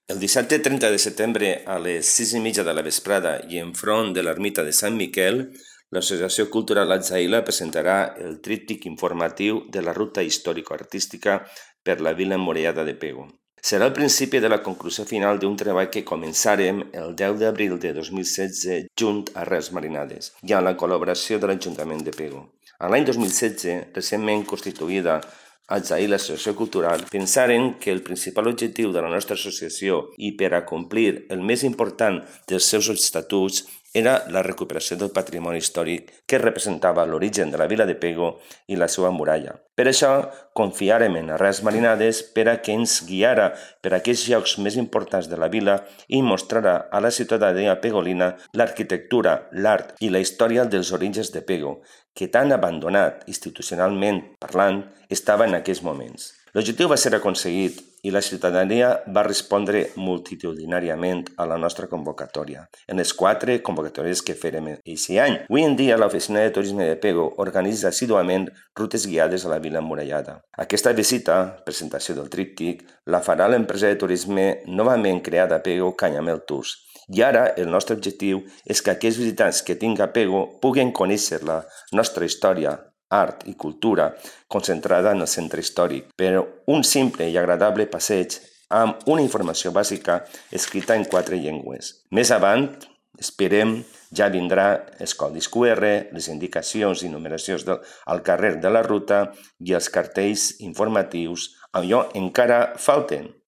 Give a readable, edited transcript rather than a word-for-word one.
El dissabte 30 de setembre a les 6:30 de la vesprada i enfront de l'ermita de Sant Miquel, l'Associació Cultural Atzaïla presentarà el tríptic informatiu de la ruta històrico-artística per la vila emmurallada de Pego. Serà el principi de la conclusió final d'un treball que començarem el 10 d'abril de 2016 junt a Res Marinades i amb la col·laboració de l'Ajuntament de Pego. En l'any 2016, recentment constituïda Atzaïla Associació Cultural, pensaren que el principal objectiu de la nostra associació i per a complir el més important dels seus estatuts era la recuperació del patrimoni històric que representava l'origen de la vila de Pego i la seva muralla. Per això, confiàrem en Res Marinades per a que ens guiara per aquells llocs més importants de la vila i mostrara a la ciutadania pegolina l'arquitectura, l'art i la història dels orígens de Pego, que tan abandonat institucionalment parlant estava en aquells moments. L'objectiu va ser aconseguit i la ciutadania va respondre multitudinàriament a la nostra convocatòria, en les 4 convocatòries que fèrem aquest any. Avui en dia, l'Oficina de Turisme de Pego organitza assíduament rutes guiades a la vila emmurallada. Aquesta visita, presentació del tríptic, la farà l'empresa de turisme novament creada a Pego, Canyamel Tours. I ara el nostre objectiu és que aquells visitants que tinguin a Pego puguen conèixer la nostra història, art i cultura concentrada en el centre històric, però un simple i agradable passeig amb una informació bàsica escrita en 4 llengües. Més avant, esperem, ja vindrà els codis QR, les indicacions i numeracions al carrer de la ruta i els cartells informatius, allò encara falten.